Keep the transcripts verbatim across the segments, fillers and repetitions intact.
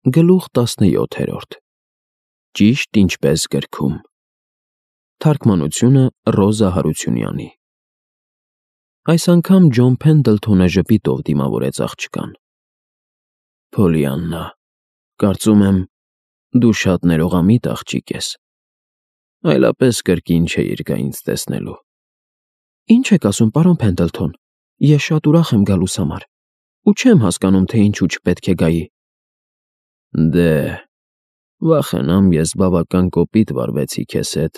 Գլուխ տասնյոթերորդ Ճիշտ ինչպես գրքում։ Թարգմանությունը Ռոզա Հարությունյանի։ Այս անգամ Ջոն Փենդլթոնը ժպիտով դիմավորեց աղջկան։ Փոլիաննա, կարծում եմ, դու շատ ներողամիտ աղջիկ ես։ Այլապես կրկին չէիր գա ինձ տեսնելու։ Ինչ եք ասում, պարոն Փենդլթոն, ես շատ ուրախ եմ գալուս համար, ու չեմ հասկանում, թե ինչու չպետք է գայի։ Դե, վախենամ ես բավական կոպիտ վարվեցի քեզ հետ,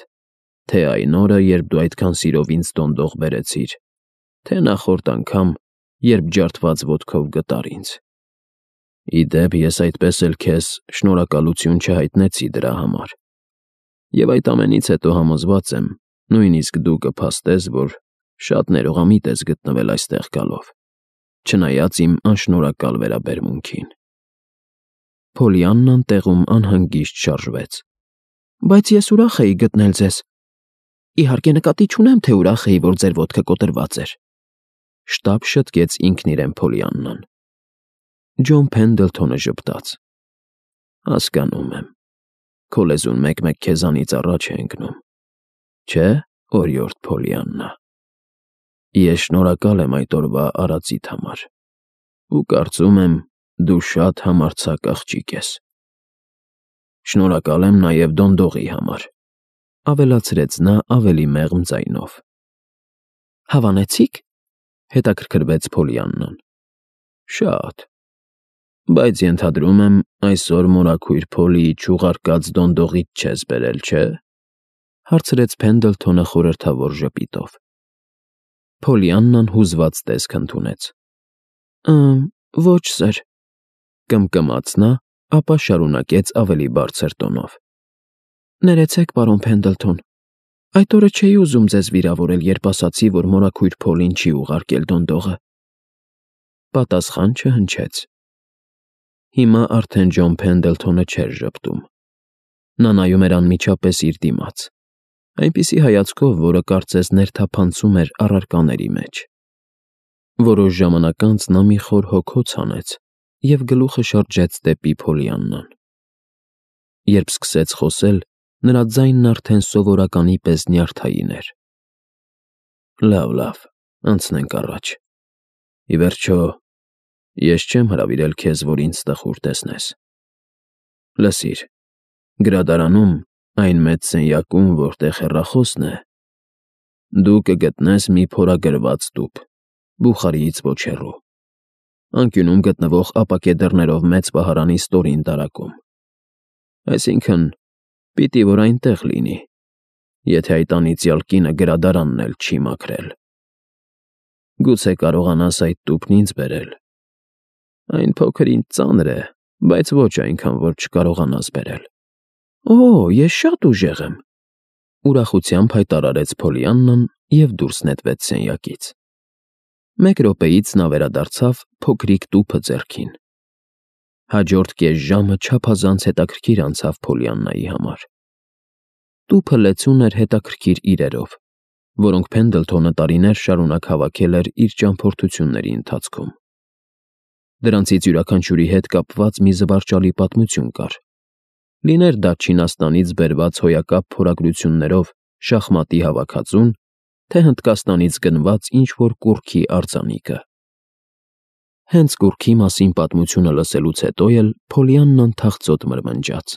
թե այն օրը, երբ դու այդքան սիրով ինձ դոնդող բերեցիր, թե նախորդ անգամ, երբ ջարդված ոտքով գտար ինձ։ Ի դեպ, ես այդպես էլ քեզ շնորհակալություն չհայտնեցի դրա համար։ Եվ այդ ամենից հետո համոզված եմ, նույնիսկ դու կփաստես, որ շատ ներողամիտ ես գտնվել այստեղ գալով, չնայած իմ անշնորհակալ վերաբերմունքին։ Փոլիաննան տեղում անհանգիստ շարժվեց։ Բայց ես ուրախ էի գտնել ձեզ։ Իհարկե նկատի չունեմ, թե ուրախ էի, որ ձեր ոտքը կոտրված էր։ Շտապ շտկեց ինքն իրեն Փոլիաննան։ Ջոն Փենդլթոնը ժպտաց։ Հասկանում եմ։ Քո լեզուն մեկ-մեկ քեզանից առաջ է ընկնում։ Չէ, օրիորդ Փոլիաննա։ Ես շնորհակալ եմ այդ օրվա արածիդ համար։ Ու կարծում եմ, դու շատ համարձակ աղջիկ ես։ Շնորհակալ եմ նաև դոնդողի համար, ավելացրեց նա ավելի մեղմ ձայնով։ Հավանեցի՞ք, հետաքրքրվեց Փոլիաննան։ Շատ։ Բայց ենթադրում եմ, այսօր մորաքույր Փոլիի չուղարկած դոնդողից չես բերել, չէ՞, հարցրեց Փենդլթոնը խորհրդավոր ժպիտով։ Փոլիաննան հուզված տեսք ընդունեց։ Ըմ, ոչ, սըր, կմկմաց նա, ապա շարունակեց ավելի բարձր տոնով։ Ներեցեք, պարոն Փենդլթոն, այդ օրը չէի ուզում ձեզ վիրավորել, երբ ասացի, որ մորաքույր Փոլին չի ուղարկել դոնդողը։ Պատասխան չհնչեց։ Հիմա արդեն Ջոն Փենդլթոնը չէր ժպտում։ Նա նայում էր անմիջապես իր դիմաց, այնպիսի հայացքով, որը կարծես ներթափանցում էր առարկաների մեջ։ Որոշ ժամանակ անց նա մի խոր հոգոց հանեց և գլուխը շրջեց դեպի Փոլիաննան։ Երբ սկսեց խոսել, նրա ձայնն արդեն սովորականի պես նյարդային էր։ Լավ, լավ, անցնենք առաջ։ Ի վերջո, ես չեմ հրավիրել քեզ, որ ինձ տխուր տեսնես։ Լսիր, գրադարանում, այն մեծ սենյակում, որտեղ հեռախոսն է, դու կգտնես մի փորագրված տուփ, Բուխարիից ոչ հեռու, անկյունում գտնվող ապակե դռներով մեծ պահարանի ստորին տարակում։ Այսինքն, պիտի որ այնտեղ լինի, եթե այդ անիծյալ կինը գրադարանն էլ չի մաքրել։ Գուցե կարողանաս այդ տուփն ինձ բերել։ Այն փոքր ինչ ծանր է, բայց ոչ այնքան, որ չկարողանաս բերել։ Օ, ես շատ ուժեղ եմ, ուրախությամբ հայտարարեց Փոլիաննան և դուրս նետվեց սենյակից։ Մեկ րոպեից նա վերադարձավ փոքրիկ տուփը ձեռքին։ Հաջորդ կես ժամը չափազանց հետաքրքիր անցավ Փոլիաննայի համար։ Տուփը լեցուն էր հետաքրքիր իրերով, որոնք Փենդլթոնը տարիներ շարունակ հավաքել էր իր ճամփորդությունների ընթացքում։ Դրանցից յուրաքանչյուրի հետ կապված մի զվարճալի պատմություն կար։ Լիներ դա Չինաստանից բերված հոյակապ փորագրություններով շախմատի հավաքածուն, թե Հնդկաստանից գնված ինչ-որ կուռքի արձանիկը։ Հենց կուռքի մասին պատմությունը լսելուց հետո էլ Փոլիաննան թախծոտ մրմնջաց։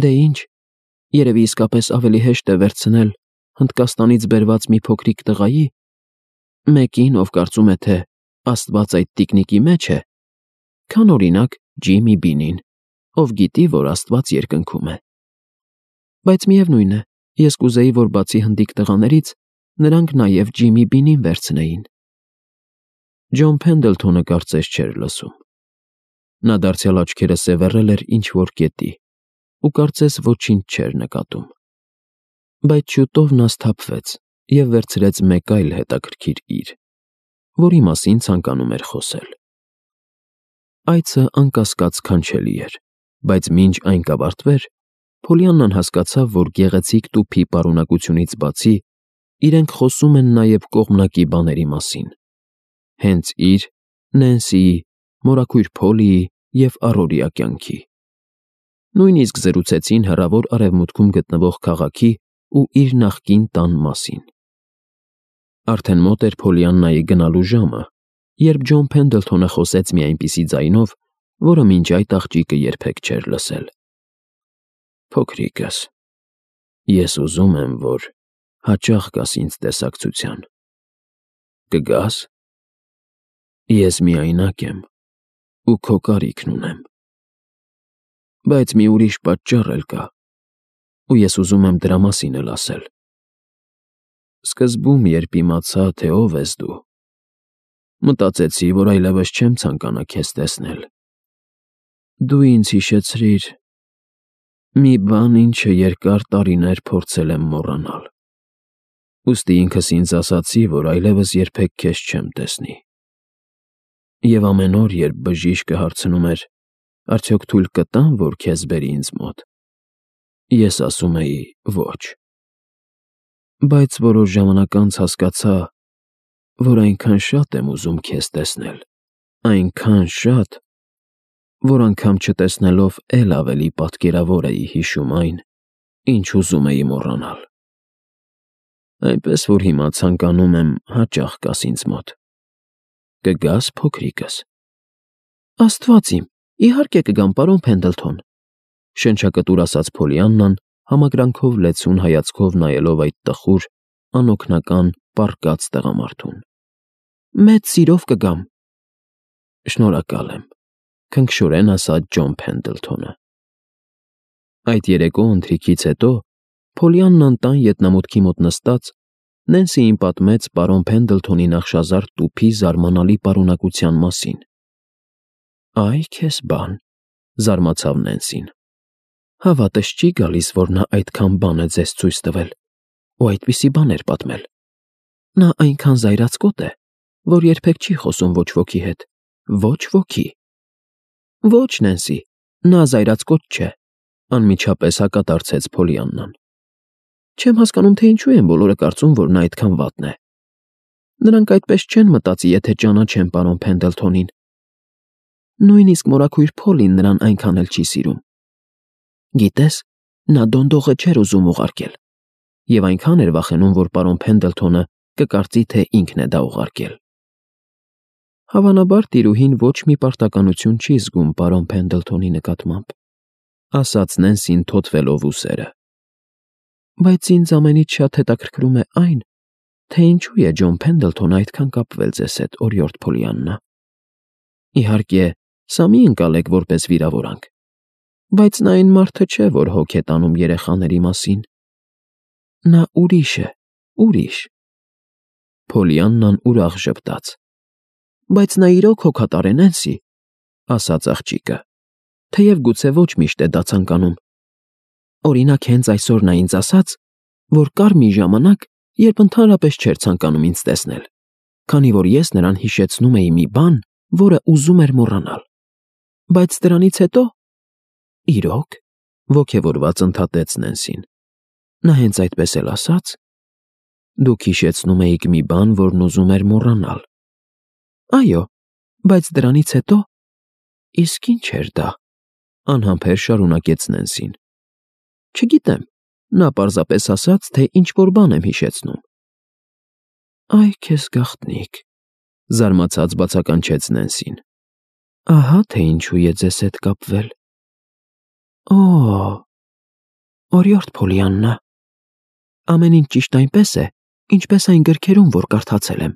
Դե ինչ, երևի իսկապես ավելի հեշտ է վերցնել Հնդկաստանից բերված մի փոքրիկ տղայի, մեկին, ով կարծում է, թե Աստված այդ տիկնիկի մեջ է, քան օրինակ Ջիմի Բինին, ով գիտի, որ Աստված երկնքում է։ Բայց միևնույն է, ես կուզեի, որ բացի հնդիկ տղաներից, նրանք նաև Ջիմի Բինին վերցնեին։ Ջոն Փենդլթոնը կարծես չէր լսում։ Նա դարձյալ աչքերը սևեռել էր ինչ-որ կետի ու կարծես ոչինչ չէր նկատում։ Բայց շուտով նա սթափվեց և վերցրեց մեկ այլ հետաքրքիր իր, որի մասին ցանկանում էր խոսել։ Այցը անկասկած սքանչելի էր, բայց մինչ այն կավարտվեր, Փոլիաննան հասկացավ, որ գեղեցիկ տուփի պարունակությունից բացի, իրենք խոսում են նաև կողմնակի բաների մասին։ Հենց իր, Նենսիի, մորաքույր Փոլիի և առօրյա կյանքի։ Նույնիսկ զրուցեցին հեռավոր արևմուտքում գտնվող քաղաքի ու իր նախկին տան մասին։ Արդեն մոտ էր Փոլիաննայի գնալու ժամը, երբ Ջոն Փենդլթոնը խոսեց մի այնպիսի ձայնով, որը մինչ այդ աղջիկը երբեք չէր լսել. «Փոքրիկս, ես ուզում եմ, որ հաճախ գաս ինձ տեսակցության։ Կգա՞ս։ Ես միայնակ եմ ու քո կարիքն ունեմ։ Բայց մի ուրիշ պատճառ էլ կա, ու ես ուզում եմ դրա մասին էլ ասել։ Սկզբում, երբ իմացա, թե ով ես դու, մտածեցի, որ այլևս չեմ ցանկանա քեզ տեսնել։ Դու ինձ հիշեցրիր մի բան, ինչը երկար տարիներ փորձել եմ մոռանալ։ Ուստի ինքս ինձ ասացի, որ այլևս երբեք քեզ չեմ տեսնի։ Եվ ամեն օր, երբ բժիշկը հարցնում էր, արդյոք թույլ կտա՞ն, որ քեզ բերի ինձ մոտ, ես ասում էի ոչ։ Բայց որոշ ժամանակ անց հասկացա, որ այնքան շատ եմ ուզում քեզ տեսնել, այնքան շատ, որ անգամ չտեսնելով էլ ավելի պատկերավոր էի հիշում այն, ինչ ուզում էի մոռանալ։ Այնպես որ հիմա ցանկանում եմ հաճախ գաս ինձ մոտ։ Կգա՞ս, փոքրիկս։ Աստված իմ, իհարկե կգամ, պարոն Փենդլթոն, շնչակտուր ասաց Փոլիաննան, համակրանքով լեցուն հայացքով նայելով այդ տխուր, անօգնական, պառկած տղամարդուն։ Մեծ սիրով կգամ։ Շնորհակալ եմ, քնքշորեն ասաց Ջոն Փենդլթոնը։ Այդ երեկո ընթրիքից հետո Փոլիաննան տան ետնամուտքի մոտ նստած Նենսիին պատմեց պարոն Փենդլթոնի նախշազարդ տուփի զարմանալի պարունակության մասին։ Այ քեզ բան, զարմացավ Նենսին։ Հավատս չի գալիս, որ նա այդքան բան է ձեզ ցույց տվել, ու այդպիսի բան էր պատմել։ Նա այնքան զայրացկոտ է, որ երբեք չի խոսում ոչ ոքի հետ, ոչ ոքի։ Ոչ, Նենսի, նա զայրացկոտ չէ, անմիջապես հակադարձեց Փոլիաննան։ Չեմ հասկանում, թե ինչու են բոլորը կարծում, որ նա այդքան վատն է։ Նրանք այդպես չեն մտածի, եթե ճանաչեն պարոն Փենդլթոնին։ Նույնիսկ մորաքույր Փոլին նրան այնքան էլ չի սիրում։ Գիտես, նա դոնդողը չէր ուզում ուղարկել, և այնքան էր վախենում, որ պարոն Փենդլթոնը կկարծի, թե ինքն է դա ուղարկել։ Հավանաբար տիրուհին ոչ մի պարտականություն չի զգում պարոն Փենդլթոնի նկատմամբ, ասաց Նենսին թոթվելով ուսերը։ Բայց ինձ ամենից շատ հետաքրքրում է այն, թե ինչու է Ջոն Փենդլթոնը այդքան կապվել ձեզ հետ, օրիորդ Փոլիաննա։ Իհարկե, սա մի ընկալեք որպես վիրավորանք, բայց նա այն մարդը չէ, որ հոգ է տանում երեխաների մասին։ Նա ուրիշ է, ուրիշ։ Փոլիաննան ուրախ ժպտաց։ Բայց նա իրոք հոգատար է, Նենսի, ասաց աղջիկը, թեև գուցե ոչ միշտ է դա ցանկանում։ Օրինակ, հենց այսօր նա ինձ ասաց, որ կար մի ժամանակ, երբ ընդհանրապես չէր ցանկանում ինձ տեսնել, քանի որ ես նրան հիշեցնում էի մի բան, որը ուզում էր մոռանալ։ Բայց դրանից հետո… Իրոք, ոգևորված ընդհատեց Նենսին։ Նա հենց այդպես էլ ասաց. Դուք հիշեցնում էիք մի բան, որն ուզում էր մոռանալ։ Այո, բայց դրանից հետո… Իսկ ինչ էր դա, անհամբեր շարունակեց Նենսին։ Չգիտեմ, նա պարզապես ասաց, թե ինչ-որ բան եմ հիշեցնում։ Այ քեզ գաղտնիք, զարմացած բացականչեց Նենսին։ Ահա թե ինչու է ձեզ հետ կապվել։ Օ, օրիորդ Փոլիաննա, ամեն ինչ ճիշտ այնպես է, ինչպես այն գրքերում, որ կարդացել եմ։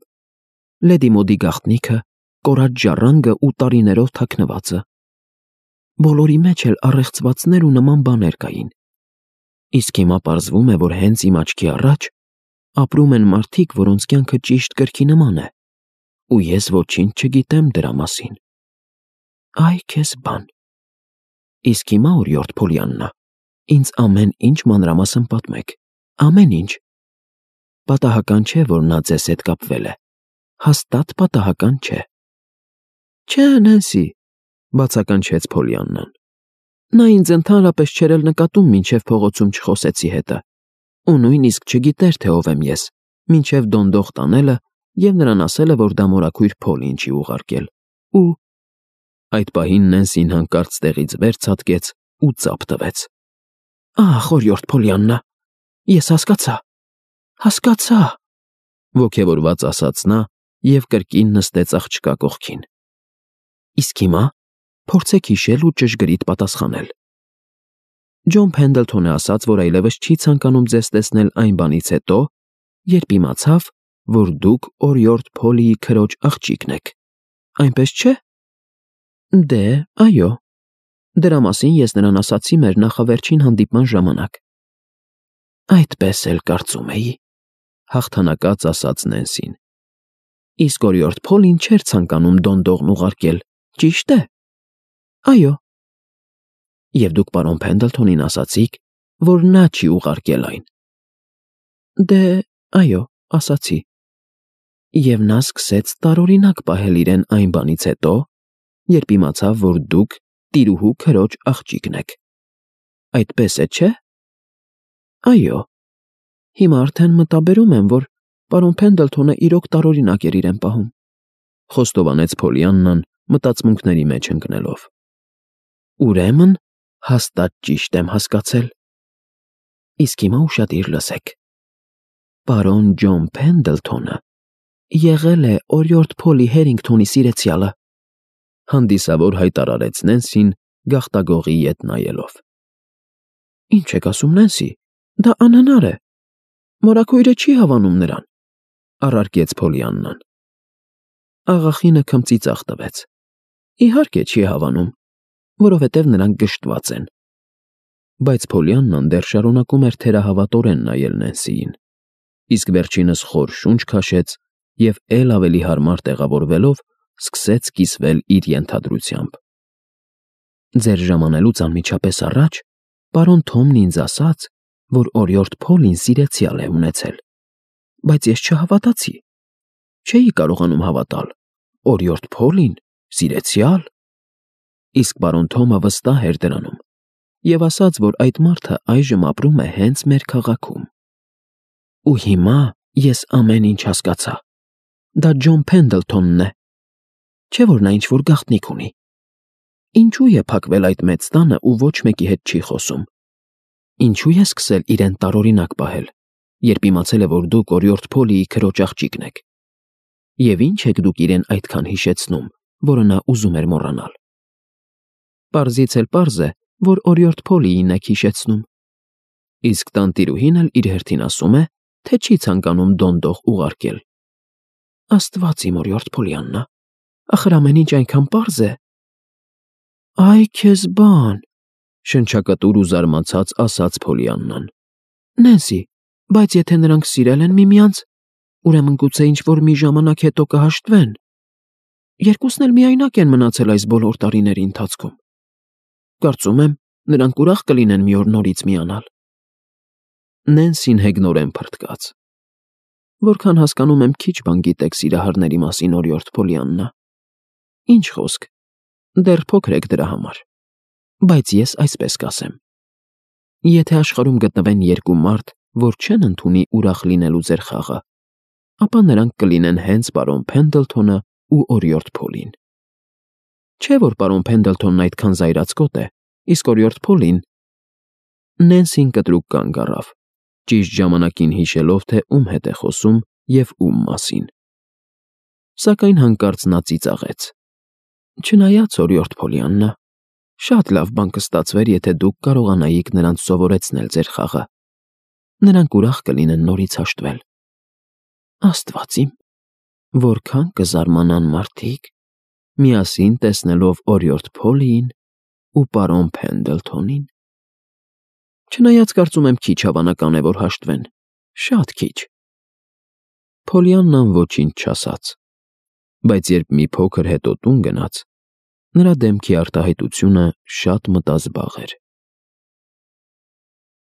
Լեդի Մոդի գաղտնիքը, կորած ժառանգը ու տարիներով թաքնվածը։ Բոլորի մեջ էլ առեղծվածներ ու նման բաներ կային։ Իսկ հիմա պարզվում է, որ հենց իմ աչքի առաջ ապրում են մարդիկ, որոնց կյանքը ճիշտ գրքի նման է, ու ես ոչինչ չգիտեմ դրա մասին։ Այ քեզ բան։ Իսկ հիմա, օրիորդ Փոլիաննա, ինձ ամեն ինչ մանրամասն պատմեք, ամեն ինչ։ Պատահական չէ, որ նա ձեզ հետ կապվել է։ Հաստատ պատահական չէ։ Չէ, Նենսի, բացականչեց Փոլիաննան։ Նա ինձ ընդհանրապես չէր էլ նկատում, մինչև փողոցում չխոսեցի հետը, ու նույնիսկ չգիտեր, թե ով եմ ես, մինչև դոնդող տանելը և նրան ասելը, որ դա մորաքույր Փոլին չի ուղարկել։ Ու… Այդ պահին Նենսին հանկարծ տեղից վեր ցատկեց ու ծափ տվեց։ «Ահ, օրիորդ Փոլիաննա, ես հասկացա, հասկացա», ոգևորված ասաց նա և կրկին նստեց աղջկա կողքին։ «Իսկ հիմա փորձեք հիշել ու ճշգրիտ պատասխանել»։ Ջոն Փենդլթոնը ասաց, որ այլևս չի ցանկանում ձեզ տեսնել այն բանից հետո, երբ իմացավ, որ դուք օրիորդ Փոլիի քրոջ աղջիկն եք, այնպես չէ՞։ Դե, այո, դրա մասին ես նրան ասացի մեր նախավերջին հանդիպման ժամանակ։ Այդպես էլ կարծում էի, հաղթանակած ասաց Նենսին։ Իսկ օրիորդ Փոլին չէր ցանկանում դոնդողն ուղարկել, ճիշտ է։ Այո։ Եվ դուք պարոն Փենդլթոնին ասացիք, որ նա չի ուղարկել այն։ Դե, այո, ասացի։ Եվ նա սկսեց տարօրինակ պահել իրեն այն բանից հետո, երբ իմացավ, որ դուք տիրուհու քրոջ աղջիկն եք։ Այդպես է, չէ՞։ Այո։ Հիմա արդեն մտաբերում եմ, որ պարոն Փենդլթոնը իրոք տարօրինակ էր իրեն պահում, խոստովանեց Փոլիաննան մտածմունքների մեջ ընկնելով։ Ուրեմն հաստատ ճիշտ եմ հասկացել։ Իսկ հիմա ուշադիր լսեք։ Պարոն Ջոն Փենդլթոնը եղել է օրիորդ Փոլի Հերինգթոնի սիրեցյալը, հանդիսավոր հայտարարեց Նենսին գաղտագողի ետ նայելով։ Ինչ եք ասում, Նենսի, դա անհնար է։ Մորաքույրը չի հավանում նրան, առարկեց Փոլիաննան։ Աղախինը քմծիծաղ տվեց։ Իհարկե չի հավանում, որովհետև նրանք գժտված են։ Բայց Փոլիաննան դեռ շարունակում էր թերահավատորեն նայել Նենսիին, իսկ վերջինս խոր շունչ քաշեց և էլ ավելի հարմար տեղավորվելով սկսեց կիսվել իր ենթադրությամբ։ Ձեր ժամանելուց անմիջապես առաջ պարոն Թոմն ինձ ասաց, որ օրիորդ Փոլին սիրեցյալ է ունեցել, բայց ես չհավատացի։ Չէի կարողանում հավատալ, օրիորդ Փոլին սիրեցյալ։ Իսկ պարոն Թոմը վստահ էր դրանում և ասաց, որ այդ մարդը այժմ ապրում է հենց մեր քաղաքում։ Ու հիմա ես ամեն ինչ հասկացա։ Դա Ջոն Փենդլթոնն է։ Չէ՞ որ նա ինչ-որ գաղտնիք ունի։ Ինչու է փակվել այդ մեծ տանը ու ոչ մեկի հետ չի խոսում։ Ինչու է սկսել իրեն տարօրինակ պահել, երբ իմացել է, որ դուք օրիորդ Փոլիի քրոջ աղջիկն եք։ Եվ ինչ եք դուք իրեն այդքան հիշեցնում, որը նա ուզում էր մոռանալ։ Պարզից էլ պարզ է, որ օրիորդ Փոլիին եք հիշեցնում։ Իսկ տանտիրուհին էլ իր հերթին ասում է, թե չի ցանկանում դոնդող ուղարկել։ Աստված իմ, օրիորդ Փոլիաննա, ախր ամեն ինչ այնքան պարզ է։ Այ քեզ բան, շնչակտուր ու զարմացած ասաց Փոլիաննան։ Նենսի, բայց եթե նրանք սիրել են միմյանց, ուրեմն գուցե ինչ-որ մի ժամանակ հետո կհաշտվեն։ Երկուսն էլ միայնակ են մնացել այս բոլոր տարիների ընթացքում։ Կարծում եմ, նրանք ուրախ կլինեն մի օր նորից միանալ։ Նենսին հեգնորեն փրթկաց։ Որքան հասկանում եմ, քիչ բան գիտեք սիրահարների մասին, օրիորդ Փոլիաննա։ Ինչ խոսք, դեռ փոքր եք դրա համար։ Բայց ես այսպես կասեմ. Եթե աշխարհում գտնվեն երկու մարդ, որ չեն ընդունի ուրախ լինելու ձեր խաղը, ապա նրանք կլինեն հենց պարոն Փենդլթոնը ու օրիորդ Փոլին։ Չէ՞ որ պարոն Փենդլթոնն այդքան զայրացկոտ է, իսկ օրիորդ Փոլին… Նենսին կտրուկ կանգ առավ, ճիշտ ժամանակին հիշելով, թե ում հետ է խոսում և ում մասին։ Սակայն հանկարծ նա ծիծաղեց։ Չնայած, օրիորդ Փոլիաննա, շատ լավ բան կստացվեր, եթե դուք կարողանայիք նրանց սովորեցնել ձեր խաղը։ Նրանք ուրախ կլինեն նորից հաշտվել։ Աստված իմ, որքան կզարմանան մարդիկ, միասին տեսնելով օրիորդ Փոլիին ու պարոն Փենդլթոնին։ Չնայած կարծում եմ քիչ հավանական է, որ հաշտվեն, շատ քիչ։ Փոլիաննան ոչինչ չասաց, բայց երբ մի փոքր հետո տուն գնաց, նրա դեմքի արտահայտությունը շատ մտազբաղ էր։